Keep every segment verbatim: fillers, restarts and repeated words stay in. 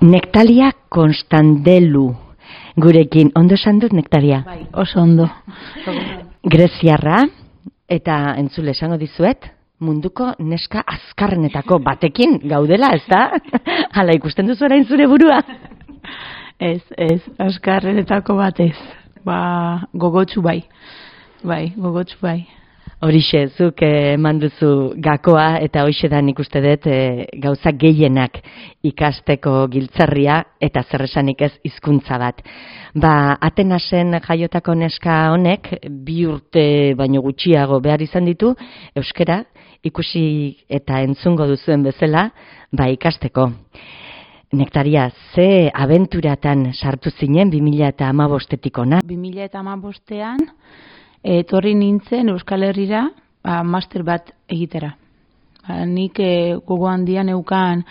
Nektalia Konstandelu gurekin. Ondo esan dut, Nektalia? Bai, oso ondo. Greziarra, eta entzule esango dizuet, munduko neska azkarrenetako batekin gaudela, ez da? Hala ikusten duzu orain zure burua? Ez, ez, azkarrenetako batez. Ba, gogotsu bai. Bai, gogotsu bai. Horixe, zuk eman duzu gakoa eta hoxe da nik uste dut e, gauza gehienak ikasteko giltzarria eta zer esanik ez hizkuntza bat. Ba, Atenasen jaiotako neska honek bi urte baino gutxiago behar izan ditu euskara ikusi eta entzungo duzuen bezala ba ikasteko. Nektaria, ze abenturatan sartu zinen bi mila hamabostetik ona? bi mila hamabostean etorri nintzen Euskal Herrira ba, master bat egitera. Ba, nik e, gogo handian neukan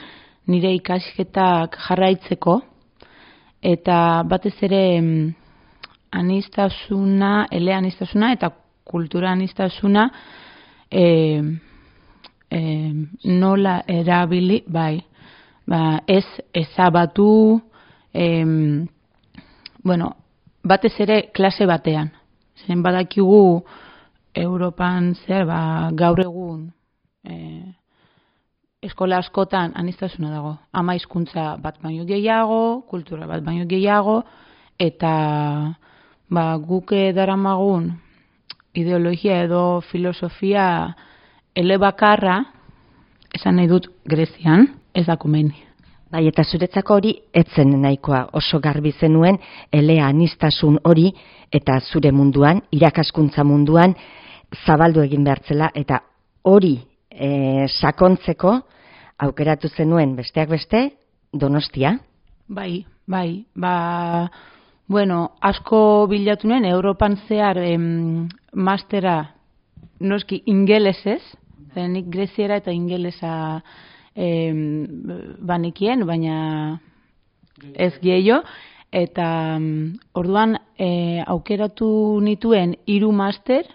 nire ikasketak jarraitzeko, eta batez ere mm, aniztasuna, ele aniztasuna eta kultura aniztasuna e, e, nola erabili, bai, ba, ez ezabatu, e, bueno, batez ere klase batean. Zen badakigu Europan zer, ba, gaur egun e, eskola askotan aniztasuna dago. Ama hizkuntza bat baino gehiago, kultura bat baino gehiago, eta ba, guk daramagun ideologia edo filosofia elebakarra, esan nahi dut Grezian, ez da komeni. Bai, eta zuretzako hori etzen nahikoa, oso garbi zenuen elea aniztasun hori eta zure munduan, irakaskuntza munduan zabaldu egin behartzela, eta hori e, sakontzeko aukeratu zenuen besteak beste Donostia. Bai, bai, ba, bueno, asko bilatu nuen, Europan zehar em, mastera noski ingelesez, nik greziera eta ingelesa E, banikien, baina ez gehiago, eta um, orduan e, aukeratu nituen hiru master,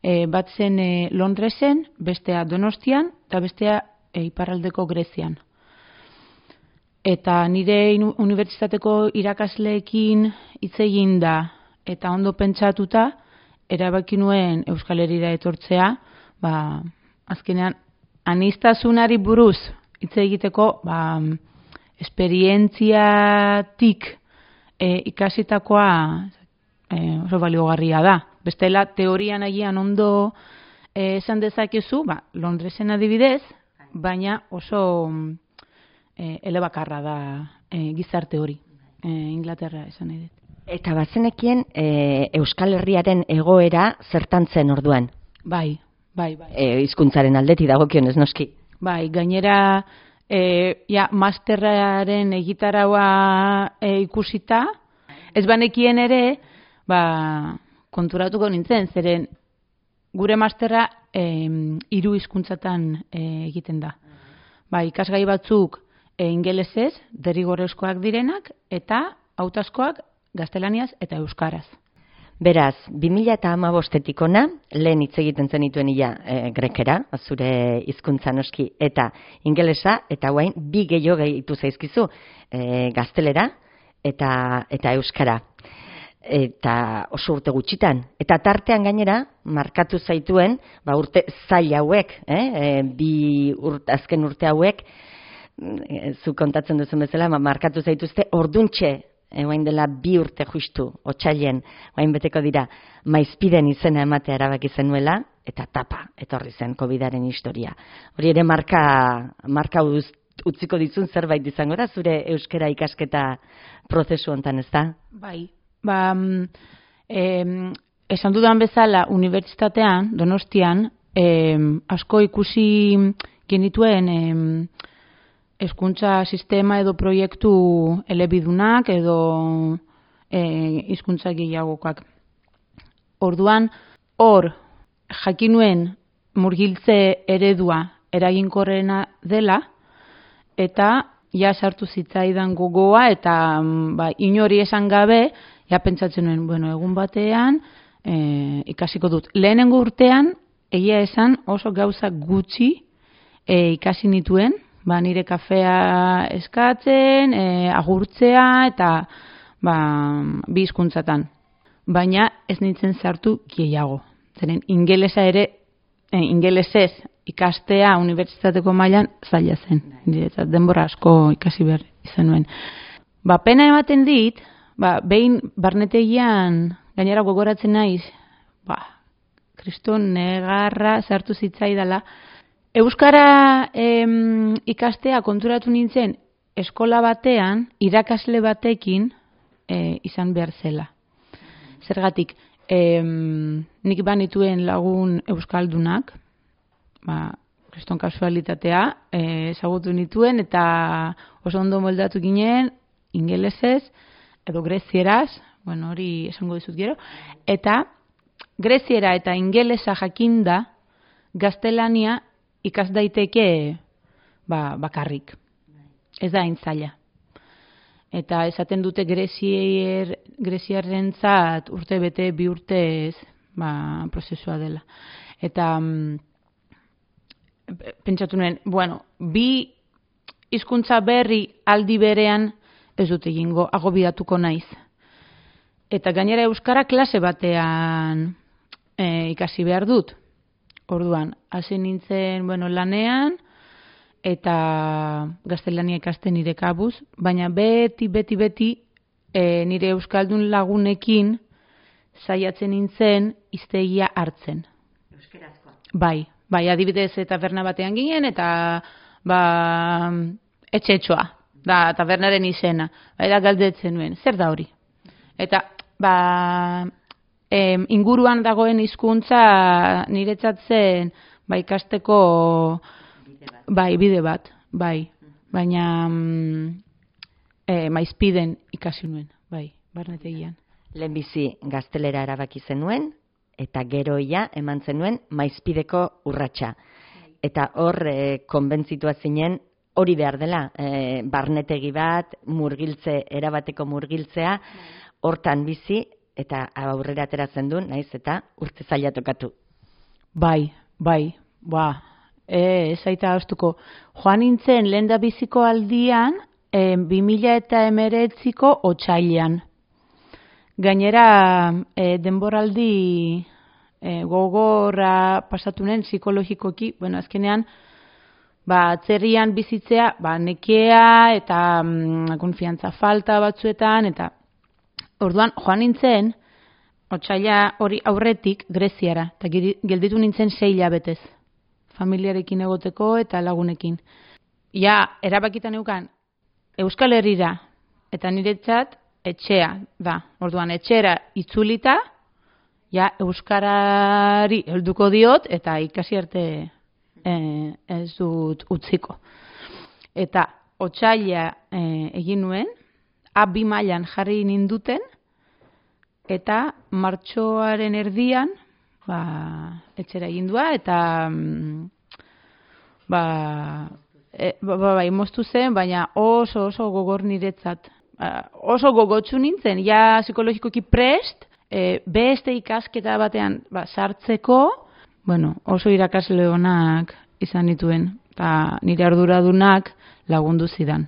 e, bat zen e, Londresen, bestea Donostian, eta bestea e, iparraldeko Grezian. Eta nire unibertsitateko irakasleekin hitz egin da, eta ondo pentsatuta, erabaki nuen Euskal Herrira etortzea, ba, azkenean, aniztasunari buruz hitz egiteko ba, esperientziatik e, ikasitakoa e, oso baliogarria da. Bestela teorian agian ondo e, esan dezakezu, ba, Londresen adibidez, baina oso e, elebakarra da e, gizarte hori, e, Inglaterra esan nahi dut. Eta bazenekien e, Euskal Herriaren egoera zertan zen orduan? Bai. Bai, bai. E, hizkuntzaren aldetik dagokionez noski. Bai, gainera e, ja, masterraren egitaraua e, ikusita, ez banekien ere, ba, konturatuko nintzen, zeren gure masterra e, hiru hizkuntzatan e, egiten da. Bai, ikasgai batzuk e, ingelesez, derrigorrezkoak direnak, eta hautazkoak gaztelaniaz eta euskaraz. Beraz, bi mila hamabostetik ona, lehen hitz egiten zenituen ia e, grekera, zure hizkuntza noski, eta ingelesa, eta guain bi gehiago gehitu zaizkizu, e, gaztelera eta, eta euskara. Eta oso urte gutxitan. Eta tartean gainera, markatu zaituen, ba urte zail hauek, eh? e, bi urte, azken urte hauek, e, zu kontatzen duzen bezala, ma, markatu zaituzte orduntxe, Egoin dela bi urte justu, otsailen, oain beteko dira, maizpiden izena ematea erabaki zenuela, eta tapa, etorri zen COVIDaren historia. Hori ere marka, marka uz, utziko dizun zerbait izango da, zure euskara ikasketa prozesu hontan, ez da? Bai, ba, em, esan dudan bezala, unibertsitatean, Donostian, em, asko ikusi genituen, em, hezkuntza sistema edo proiektu elebidunak edo hizkuntza e, gehiagokak. Orduan, hor jakinuen murgiltze eredua eraginkorrena dela, eta ja sartu zitzaidan gogoa, eta ba, inori esan gabe, ja pentsatzen nuen, bueno, egun batean e, ikasiko dut. Lehenengo urtean, egia esan oso gauza gutxi e, ikasi nituen, ba, nire kafea eskatzen, e, agurtzea eta ba, bi hizkuntzatan. Baina ez nintzen sartu gehiago. Zeren ingelesa ere, e, ingelesez ikastea unibertsitateko mailan zaila zen. Niretzat denbora asko ikasi behar izan nuen. Ba, pena ematen dit, ba, behin barnetegian gainera gogoratzen naiz, ba, kriston negarra sartu zitzaidala. Euskara em, ikastea konturatu nintzen eskola batean, irakasle batekin e, izan behar zela. Zergatik, em, nik banituen lagun euskaldunak, ba, kriston kasualitatea, e, ezagutu nituen eta oso ondo moldatu ginen, ingelesez, edo grezieraz, bueno, hori esango dizut gero, eta greziera eta ingelesa jakinda, gaztelania ikas daiteke ba, bakarrik. Ez da hain zaila. Eta esaten dute grezier, greziarrentzat urte bete bi urtez ba, prozesua dela. Eta mm, pentsatu nuen, bueno, bi hizkuntza berri aldi berean ez dut egingo, agobiatuko naiz. Eta gainera euskara klase batean e, ikasi behar dut. Orduan, hasi nintzen, bueno, lanean, eta gaztelania ikasten nire kabuz, baina beti, beti, beti, e, nire euskaldun lagunekin saiatzen nintzen hiztegia hartzen. Euskerazkoa. Bai, bai, adibidez taberna batean ginen, eta ba, etxe-etxoa, da tabernaren izena. Eta galdetzen nuen, zer da hori? Eta, ba... Em, inguruan dagoen hizkuntza niretzat zen ba, ikasteko bide bat. Bai, bide bat, bai. Baina mm, e, maizpiden ikasi nuen, bai, barnetegian. Lehenbizi gaztelera erabaki zenuen, eta gero ia eman zenuen maizpideko urratsa. Eta hor e, konbentzitua zinen hori behar dela, e, barnetegi bat, murgiltze, erabateko murgiltzea, hortan bizi, eta aurrera ateratzen du, naiz eta urte zaila tokatu. Bai, bai, ba, e, ez aita haustuko. Joan nintzen lehen da biziko aldian, e, bi mila eta hemeretziko otsailean. Gainera, e, denboraldi e, gogorra pasatunen psikologikoki, bueno, azkenean, ba, atzerrian bizitzea, ba, nekea eta mm, konfiantza falta batzuetan, eta orduan, joan nintzen, otsaila hori aurretik Greziara, eta gelditu nintzen sei hilabetez, familiarekin egoteko eta lagunekin. Ja, erabakitan neukan, Euskal Herrira, eta niretzat etxea da. Orduan, etxera itzulita, ja, Euskarari helduko diot, eta ikasi arte e, ez dut utziko. Eta otsaila e, egin nuen, A bi mailan jarri ninduten, eta martxoaren erdian, ba, etxera egindua, eta ba, e, ba, ba, ba, moztu zen, baina oso oso gogor niretzat. Ba, oso gogotsu nintzen, ja psikologikoki prest, e, beste ikasketa batean ba, sartzeko, bueno, oso irakasle onak izan nituen, eta nire arduradunak lagundu zidan.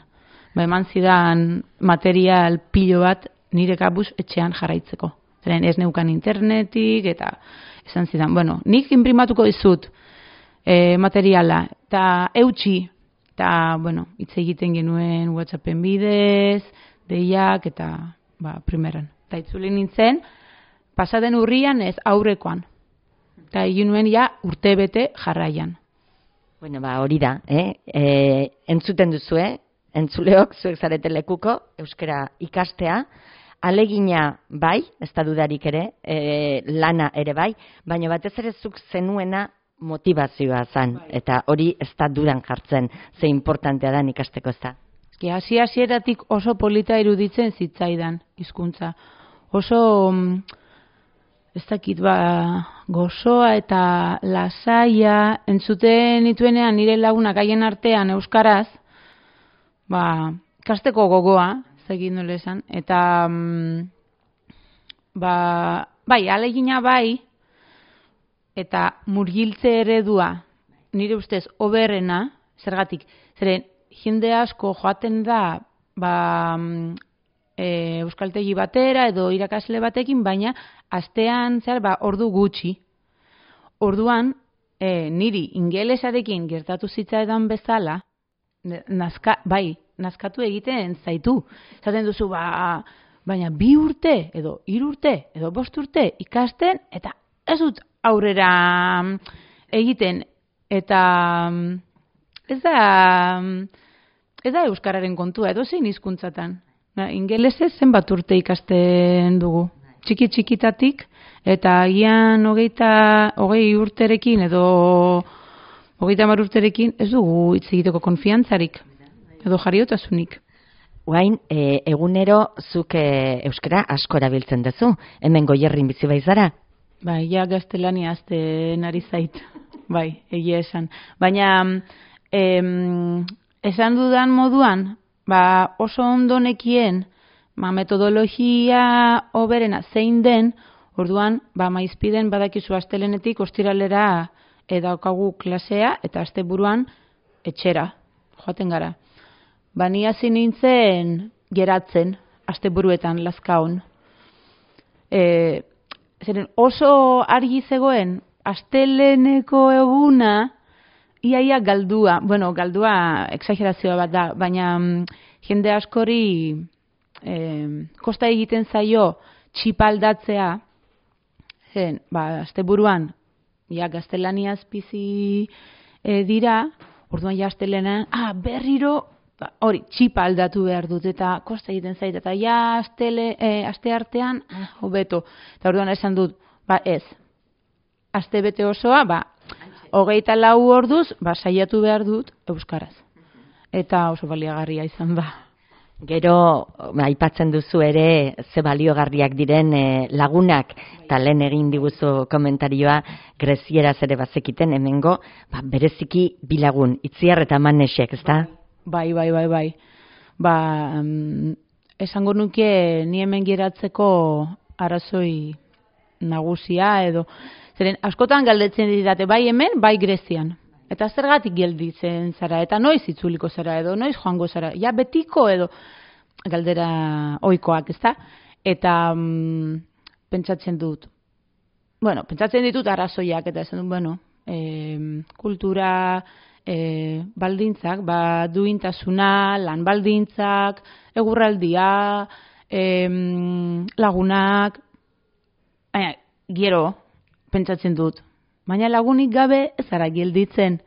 Ba, eman zidan material pilo bat nire kabuz etxean jarraitzeko. Zeren ez neukan internetik, eta esan zidan, bueno, nik inprimatuko dizut e, materiala, eta eutxi, eta, bueno, hitz egiten genuen WhatsAppen bidez, deiak, eta, ba, primeran. Eta itzuli nintzen, pasaden urrian ez aurrekoan. Eta egin nuen ja urtebete jarraian. Bueno, ba, hori da, eh? E, entzuten duzue, entzuleok, zuek zarete lekuko, euskara ikastea, alegina bai, ez da dudarik ere, e, lana ere bai, baina batez ere zuk zenuena motivazioa zan, eta hori ez da dudan jartzen, ze importantea da ikasteko ez da. Eski, hasi hasieratik oso polita iruditzen zitzaidan hizkuntza. Oso, ez dakit, ba, gozoa eta lasaia, entzuten nituenean nire lagunak haien artean euskaraz, ba, ikasteko gogoa, zegin nola esan, eta mm, ba, bai, alegina bai, eta murgiltze eredua nire ustez oberrena, zergatik, Zeren, jende asko joaten da, ba, e, euskaltegi batera edo irakasle batekin, baina astean zer, ba, ordu gutxi. Orduan, e, niri ingelesarekin gertatu zitzaidan bezala, nazka, bai, nazkatu egiten zaitu. Zaten duzu, ba, baina bi urte, edo hiru urte, edo bost urte ikasten, eta ez dut aurrera egiten, eta ez da, ez da euskararen kontua, edo zein hizkuntzatan. Ingelesez zenbat urte ikasten dugu. Txiki txikitatik, eta agian hogeita, hogei urterekin edo hogeita hamar urterekin ez dugu hitz egiteko konfiantzarik edo jariotasunik. Guain, e, egunero zuk e, euskara asko erabiltzen duzu, hemen Goierrin bizi baiz zara? Bai, ja gaztelania azten ari zait, bai, egia esan. Baina, em, esan dudan moduan, ba, oso ondo nekien, ba, metodologia hoberena zein den, orduan, ba, maizpiden badakizu astelenetik ostiralera edaukagu klasea, eta asteburuan etxera, joaten gara. Ba, ni hasi nintzen geratzen, asteburuetan lazkaon. E, zeren oso argi zegoen, asteleneko eguna, iaia galdua, bueno, galdua exagerazioa bat da, baina mm, jende askori eh, kosta egiten zaio txipaldatzea, zen, ba, asteburuan, ja, gaztelaniaz bizi e, dira, orduan ja astelena, ah, berriro, ba, hori, txipa aldatu behar dut, eta kosta egiten zait, eta ja, astele, e, aste artean, ah, hobeto, eta orduan esan dut, ba, ez, aste bete osoa, ba, hogeita lau orduz, ba, saiatu behar dut euskaraz. Eta oso baliagarria izan da. Gero, aipatzen duzu ere, ze baliogarriak diren e, lagunak, eta lehen egin diguzu komentarioa, grezieraz ere bazekiten, hemengo, ba, bereziki bilagun, Itziar eta Manesek, ezta? Bai, bai, bai, bai. Ba, um, esango nuke ni hemen geratzeko arazoi nagusia, edo, zeren, askotan galdetzen didate, bai hemen, bai Grezian. Eta zergatik gelditzen zara, eta noiz itzuliko zara, edo noiz joango zara, ja betiko, edo galdera ohikoak, ezta? Eta mm, pentsatzen dut, bueno, pentsatzen ditut arrazoiak, eta esan dut, bueno, e, kultura e, baldintzak, ba, duintasuna, lan baldintzak, egurraldia, e, lagunak, baina, gero, pentsatzen dut, baina lagunik gabe ez zara gelditzen.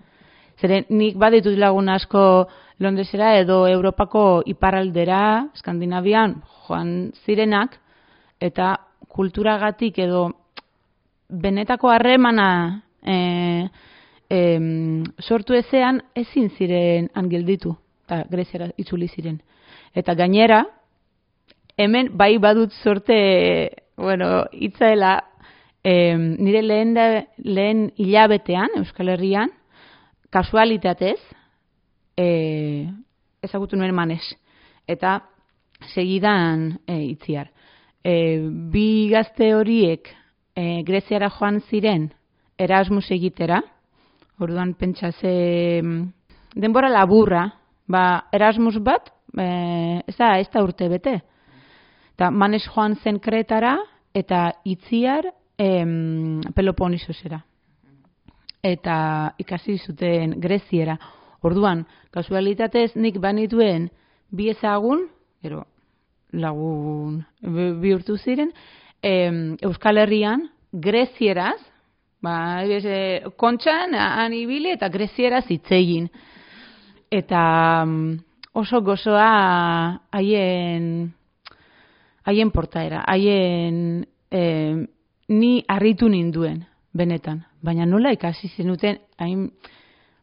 Zeren nik baditut lagun asko Londresera edo Europako iparraldera, Skandinavian, joan zirenak, eta kulturagatik edo benetako harremana e, e, sortu ezean ezin ziren han gelditu, eta Greziara itzuli ziren. Eta gainera, hemen bai badut sorte, bueno, hitzaela, E, nire lehen, da, lehen hilabetean, Euskal Herrian, kasualitatez, e, ezagutu nuen Manes, eta segidan e, Itziar. E, bi gazte horiek e, Greziara joan ziren Erasmus egitera, orduan pentsa ze denbora laburra, ba, Erasmus bat, e, ez da, ez da urte bete. Eta Manes joan zen Kretara, eta Itziar, Em, Peloponisosera. Eta ikasi zuten Greziera. Orduan, kasualitatez nik banituen bi ezagun, gero lagun bihurtu ziren, em, Euskal Herrian Grezieraz, ba, e, kontxan, han ibili eta Grezieraz hitzegin. Eta um, oso gozoa haien haien portaera, haien em, ni harritu ninduen, benetan. Baina nola ikasi zenuten, hain...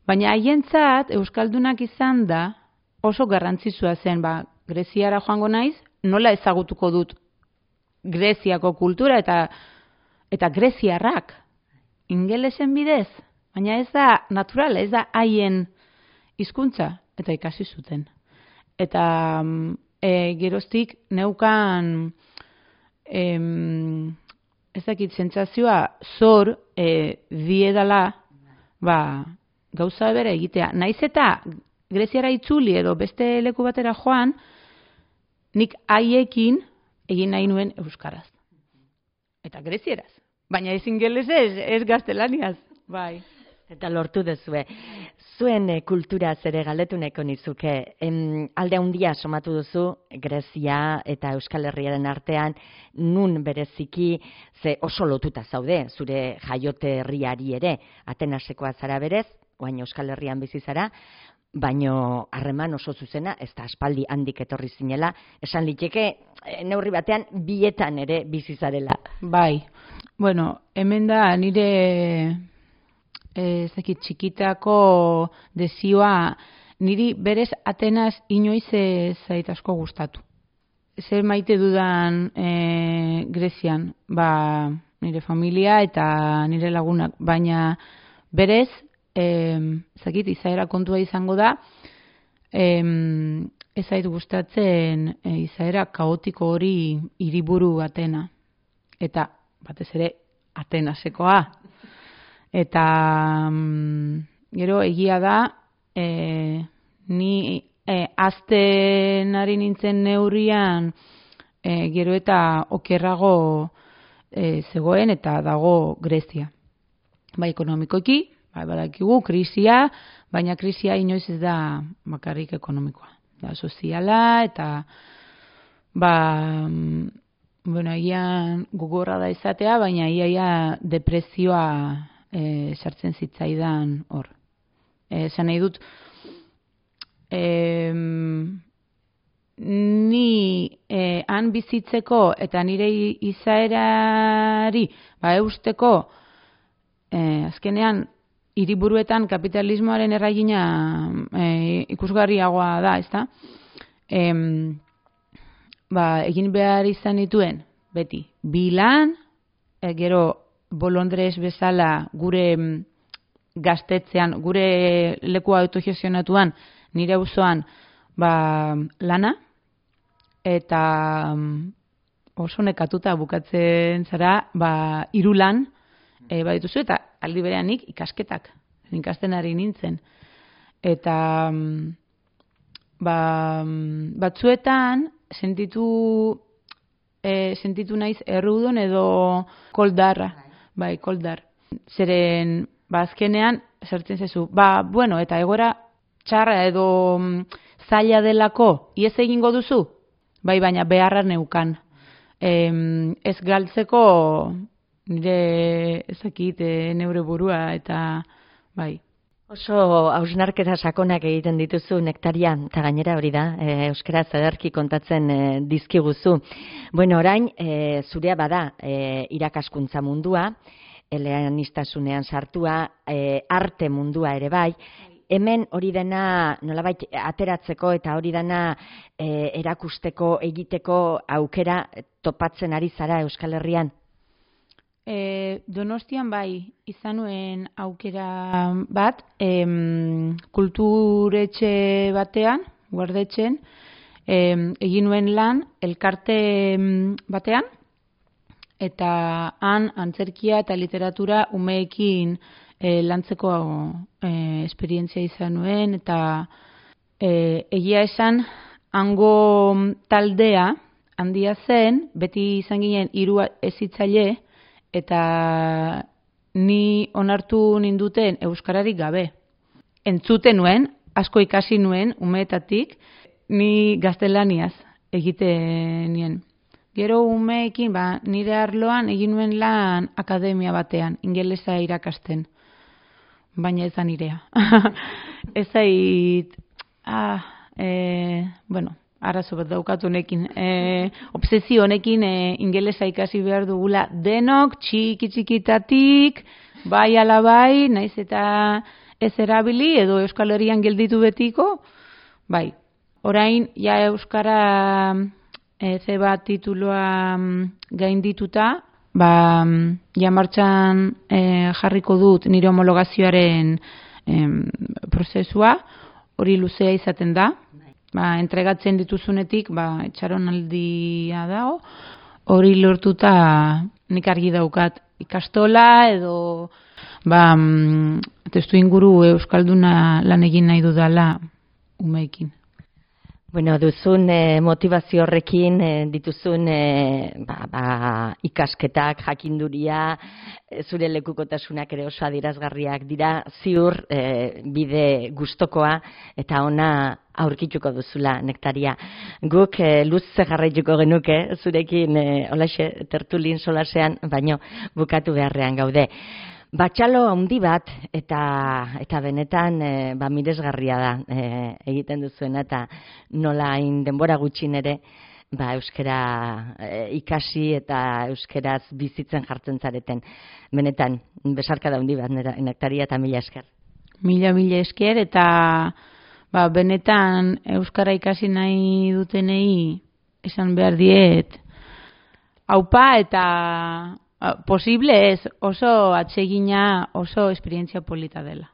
baina haientzat euskaldunak izan da oso garrantzitsua zen, ba, Greziara joango naiz, nola ezagutuko dut Greziako kultura eta eta greziarrak, ingelesen bidez, baina ez da natural, ez da haien hizkuntza, eta ikasi zuten. Eta e, geroztik neukan em, ez dakit, sentsazioa zor e, diedala, ba, gauza bera egitea. Naiz eta Greziara itzuli edo beste leku batera joan, nik haiekin egin nahi nuen euskaraz. Eta grezieraz. Baina ez ingelesez, ez gaztelaniaz. Bai. Eta lortu duzue. Zuen e, kultura zere galdetu nahiko nizuke. Em, alde handia somatu duzu Grezia eta Euskal Herriaren artean, nun bereziki ze oso lotuta zaude, zure jaiote herriari ere, Atenasekoa zara berez, oain Euskal Herrian bizi zara, baino harreman oso zuzena, ez da aspaldi handik etorri zinela, esan liteke neurri batean bietan ere bizi zarela. Bai. Bueno, hemen da nire ez dakit txikitako dezioa, niri berez Atenas inoiz ez zait asko gustatu. Zer maite dudan e, Grezian, ba, nire familia eta nire lagunak, baina berez, e, zakit, izaera kontua izango da, e, ez zait gustatzen e, izaera kaotiko hori hiriburu Atena. Eta, batez ere, Atenasekoa. Eta mm, gero egia da, e, ni e, azten ari nintzen neurrian, e, gero eta okerrago e, zegoen eta dago Grezia. Ba, ekonomikoki, ba, badakigu, krisia, baina krisia inoiz ez da bakarrik ekonomikoa. Da, soziala eta, ba, bueno, egian gogorra da izatea, baina iaia depresioa E, sartzen zitzaidan hor. Esan nahi dut, e, ni e, han bizitzeko eta nire izaerari ba, eusteko, e, azkenean, hiriburuetan kapitalismoaren erragina e, ikusgarriagoa da, ezta? E, ba, egin behar izan dituen, beti, bilan, e, gero, bolondrez bezala gure gaztetzean, gure leku autogestionatuan, nire auzoan ba, lana, eta oso nekatuta bukatzen zara, ba, hiru lan e, badituzu, eta aldi bereanik ikasketak, ikasten ari nintzen. Eta ba, batzuetan sentitu, e, sentitu naiz errudun edo koldarra. Bai, koldar. Zeren, ba, azkenean, sartzen zezu, ba, bueno, eta egoera txarra edo mm, zaila delako, iez egingo duzu? Bai, baina beharra neukan. E, ez galtzeko nire ezakit neure burua, eta bai. Oso hausnarketa sakonak egiten dituzu Nektaria, eta gainera hori da, e, euskaraz ederki kontatzen e, dizkiguzu. Bueno, orain, e, zurea bada e, irakaskuntza mundua, eleanistasunean sartua, e, arte mundua ere bai, hemen hori dena nolabait ateratzeko eta hori dena e, erakusteko, egiteko aukera topatzen ari zara Euskal Herrian? E, Donostian bai, izan nuen aukera bat, em, kulturetxe batean, guardetxen, em, egin nuen lan elkarte batean, eta han antzerkia eta literatura umeekin e, lantzeko e, esperientzia izan nuen, eta e, egia esan, hango taldea handia zen, beti izan ginen hiru hezitzaile, eta ni onartu ninduten euskararik gabe. Entzuten nuen, asko ikasi nuen, umeetatik, ni gaztelaniaz egiten nien. Gero umeekin, ba, nire arloan egin nuen lan akademia batean, ingelesa irakasten. Baina ez da nirea. Ez zait, ah, e, bueno, arazo bat daukatu honekin. E, obsesio honekin e, ingelesa ikasi behar dugula denok, txiki txikitatik, bai ala bai, naiz eta ez erabili edo Euskal Herrian gelditu betiko, bai. Orain, ja Euskara e, ze bat tituloa gaindituta, ba, ja martxan e, jarriko dut nire homologazioaren e, prozesua, hori luzea izaten da. Ba, entregatzen dituzunetik, ba, etxaronaldia dago, hori lortuta nik argi daukat ikastola edo ba, testu inguru euskalduna lan egin nahi dudala umeekin. Bueno, duzun eh, motivazio horrekin eh, dituzun eh, ba, ba, ikasketak, jakinduria, eh, zure lekukotasunak ere oso adierazgarriak dira, ziur eh, bide gustokoa eta ona aurkituko duzula, Nektaria. Guk eh, luze jarraituko genuke, zurekin eh, olaxe tertulin solasean, baino bukatu beharrean gaude. Batxalo handi bat eta eta benetan e, ba miresgarria da e, egiten duzuena eta nola hain denbora gutxin ere ba euskara e, ikasi eta euskaraz bizitzen jartzen zareten. Benetan besarkada handi bat Nektaria eta mila esker. Mila mila esker eta ba benetan euskara ikasi nahi dutenei esan behar diet aupa eta posible ez, oso atsegina, oso esperientzia polita dela.